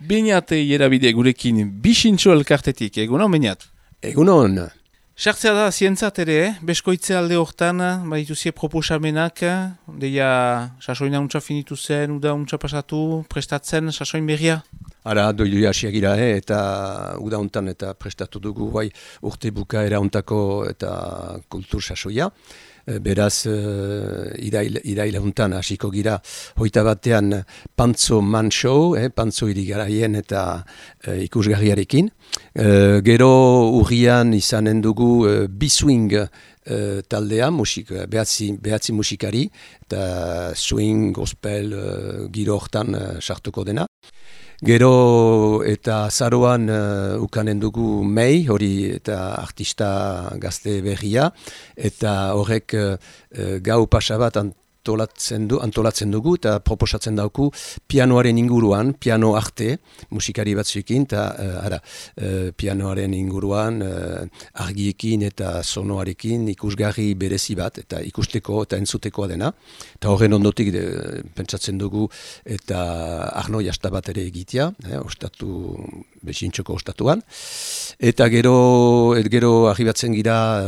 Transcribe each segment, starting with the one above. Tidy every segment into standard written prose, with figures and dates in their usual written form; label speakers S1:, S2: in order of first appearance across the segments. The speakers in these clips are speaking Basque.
S1: Beñat Ierabide gurekin bisintxo elkartetik, egunon Beñat?
S2: Egunon.
S1: Sartzea da zientzat ere, beskoitze alde hortan, badituzie proposamenak, deia sasoina untsa finitu zen, uda untsa pasatu, prestatzen sasoin berria?
S2: Ara, doidu hasiagira, eta uda hontan eta prestatu dugu bai urte bukaera hontako eta kultur sasoia. Beraz, iraila hontan hasiko gira, hoita batean Pantzo Man Show, Pantzo irigaraien eta ikusgarriarekin. Gero urrian izanen dugu B-Swing taldea, behatzi musikari, eta swing, gospel, giro hortan sartuko dena. Gero eta azaroan ukanen dugu Mei, hori eta artista gazte berria, eta horrek gau pasa bat antolatzen dugu eta proposatzen dauku pianoaren inguruan, piano arte, musikari batzuekin, eta pianoaren inguruan argiekin eta sonoarekin ikusgarri berezi bat, eta ikusteko eta entzutekoa dena. Eta horren ondotik pentsatzen dugu eta Arno jasta bat ere egitea, besintxoko ostatuan. Eta gero arribatzen gira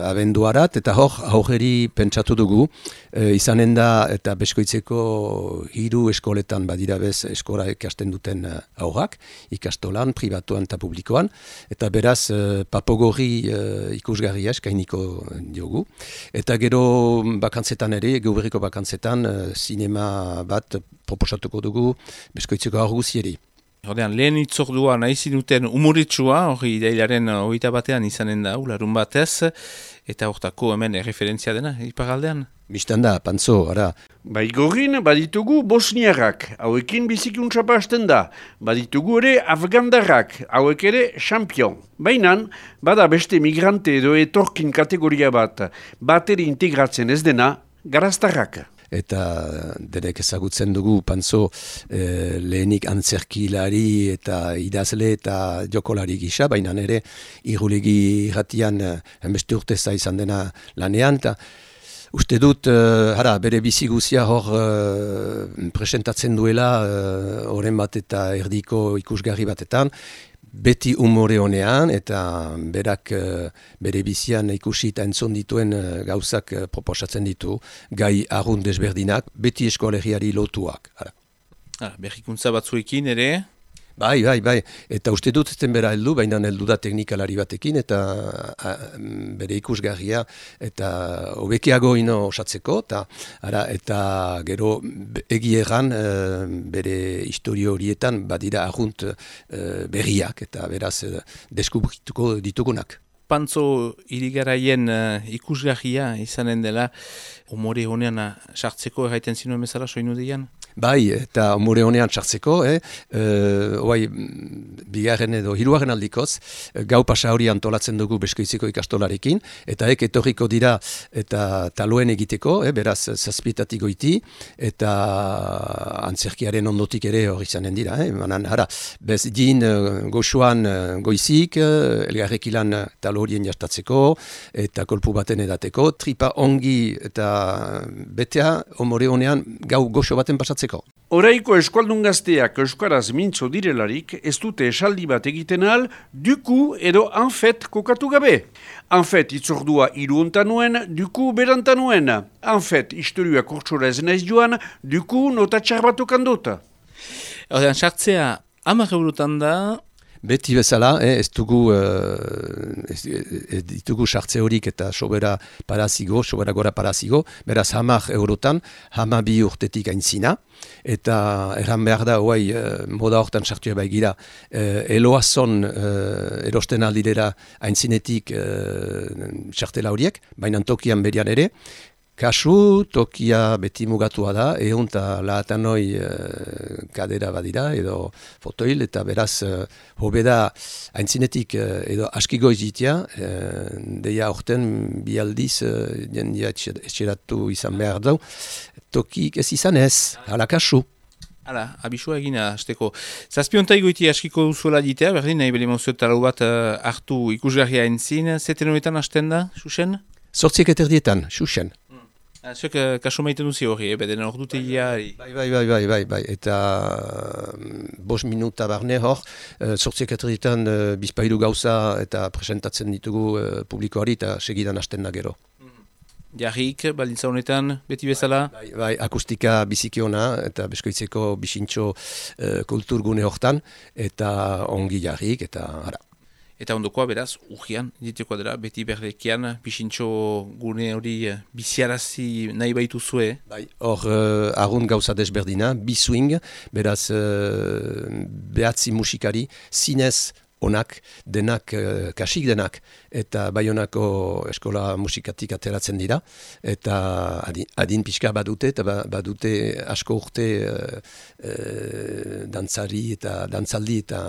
S2: abenduarat, eta aurreri pentsatu dugu, izanen da eta beskoitzeko 3 eskoletan badira bez eskola ikasten duten aurrak, ikastolan, pribatuan eta publikoan, eta beraz papogorri ikusgarria eskainiko diogu. Eta gero bakantzetan ere, geuberriko bakantzetan, sinema bat proposatuko dugu beskoitzeko aur guzieri.
S1: Ordean, lehen itzordua nahi zinuten umuritsua, hori idailaren 21 batean izanen da, larun batez, eta hortako hemen erreferentzia dena, iparaldean?
S2: Bistan da, Pantzo, ara.
S3: Baigorrin baditugu bosniarrak, hauekin bizikuntza hasten da. Baditugu ere afgandarrak, hauek ere champion. Baina, bada beste migrante edo etorkin kategoria bat ere integratzen ez dena, garaztarrak.
S2: Eta derek ezagutzen dugu Pantzo lehenik antzerkilari eta idazle eta jokolari gisa, baina ere irulegi irratian beste urteza izan dena lanean, eta uste dut, bere bizi guzia hor presentatzen duela oren bat eta erdiko ikusgarri batetan, beti umore honean, eta berak bere bizian ikusi eta entzun dituen gauzak proposatzen ditu, gai arrun desberdinak, beti eskolegiari lotuak.
S1: Berrikuntza batzuekin ere?
S2: Bai, eta uste dut ezten bera heldu, baina heldu da teknikalari batekin, eta bere ikusgarria, eta hobekiago ino osatzeko, eta gero egieran bere historio horietan badira arrunt berriak, eta beraz deskubrituko ditugunak.
S1: Pantzo irigaraien ikusgarria izanen dela, umore honean sartzeko erraiten zinuen bezala soinu dian?
S2: Bai, eta umore honean txartzeko, bigarren edo hirugarren aldikoz, gau pasa hori antolatzen dugu beskoitziko ikastolarekin, eta etorriko dira eta taloen egiteko, beraz zazpietatik goiti, eta antzerkiaren ondotik ere hori izanen dira. Bez din goxuan goizik, elgarrekilan talo horien jastatzeko, eta kolpu baten edateko, tripa ongi eta betea umore honean gau goxo baten pasatzen.
S3: Oraiko eskualdun gazteak euskaraz mintzo direlarik ez dute esaldi bat egiten ahal duku edo anfet kokatu gabe. Anfet itzordua hiruontan nuen, duku berantan nuen. Anfet historia kortsora ez naiz joan, duku notatxar batukan dut.
S1: Ordean, sartzea 10 eurotan da.
S2: Beti bezala, ez ditugu sartze horik eta sobera gora parazigo, beraz 10 eurotan, 12 urtetik aintzina, eta erran behar da, moda hortan sartua baigira, eloazon erosten aldirera aintzinetik sartela horiek, baina tokian berian ere, kasu, tokia beti mugatua da, eta lahatanoi kadera badira, edo fotoil, eta beraz, hobeda aintzinetik edo askigoiz jitia, deia horten bi aldiz, jendia etxeratu izan behar dau, tokik ez izan ez, hala kasu.
S1: Hala, abisua egina, azteko. Zazpiontai goiti askiko duzuela ditea, berdin, nahi beli mozio talau bat hartu ikusgarria entzin, zeten horretan hasten da, Xuxen?
S2: 8:30, Xuxen.
S1: Zuek kaso maiten duzi hori, bedena hor dutegia.
S2: Bai, eta 5 minuta barne hor, sortziak eterritan bizpairu gauza eta presentatzen ditugu publikoari eta segidan hasten da gero.
S1: Jarrik, baldintza honetan, beti bezala?
S2: Bai, akustika bizikiona eta Beskoitzeko bisintxo kulturgune hortan, eta ongi jarrik, eta ara.
S1: Eta ondokoa beraz, urgian, ditekoa dela, beti berdekian, bisintxo gune hori biziarazi nahi baitu zue.
S2: Bai, hor arrunt gauza desberdina, bi-swing, beraz behatzi musikari, zinez onak, denak, kasik denak, eta Baionako eskola musikatik ateratzen dira, eta adin pixka badute, eta badute asko urte dantzari eta dantzaldi eta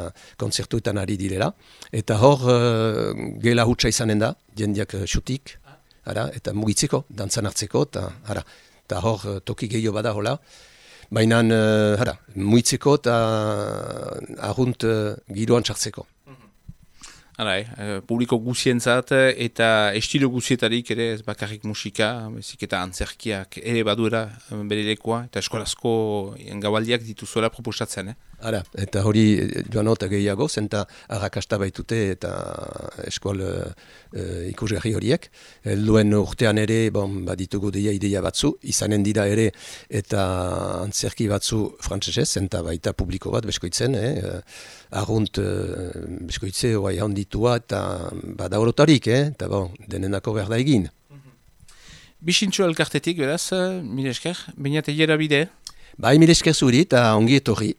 S2: kontzertuetan ari direla. Eta hor gela hutsa izanen da, jendeak xutik, eta mugitzeko, dantzan hartzeko, eta hor toki gehiago bada hola. Baina mugitzeko eta arrunt giroan txartzeko.
S1: Publiko guzientzat eta estilo guzietarik ere ez bakarrik musika, bezik eta antzerkiak ere baduera bere lekoa eta eskolazko gabaldiak dituzuela proposatzen.
S2: Eta hori joan eta gehiago, zenta arrakasta baitute eta eskual ikusgarri horiek. Helduen urtean ere baditugu ideia batzu, izanen dira ere eta antzerki batzu frantsesez, zenta baita publiko bat Beskoitzen, arrunt Beskoitze oai handitua eta bada horotarik, eta denenako behar da egin.
S1: Bisintxo elkartetik, beraz, mire esker, bainat egera bide?
S2: Bai, mire esker zuri eta ongi etorri.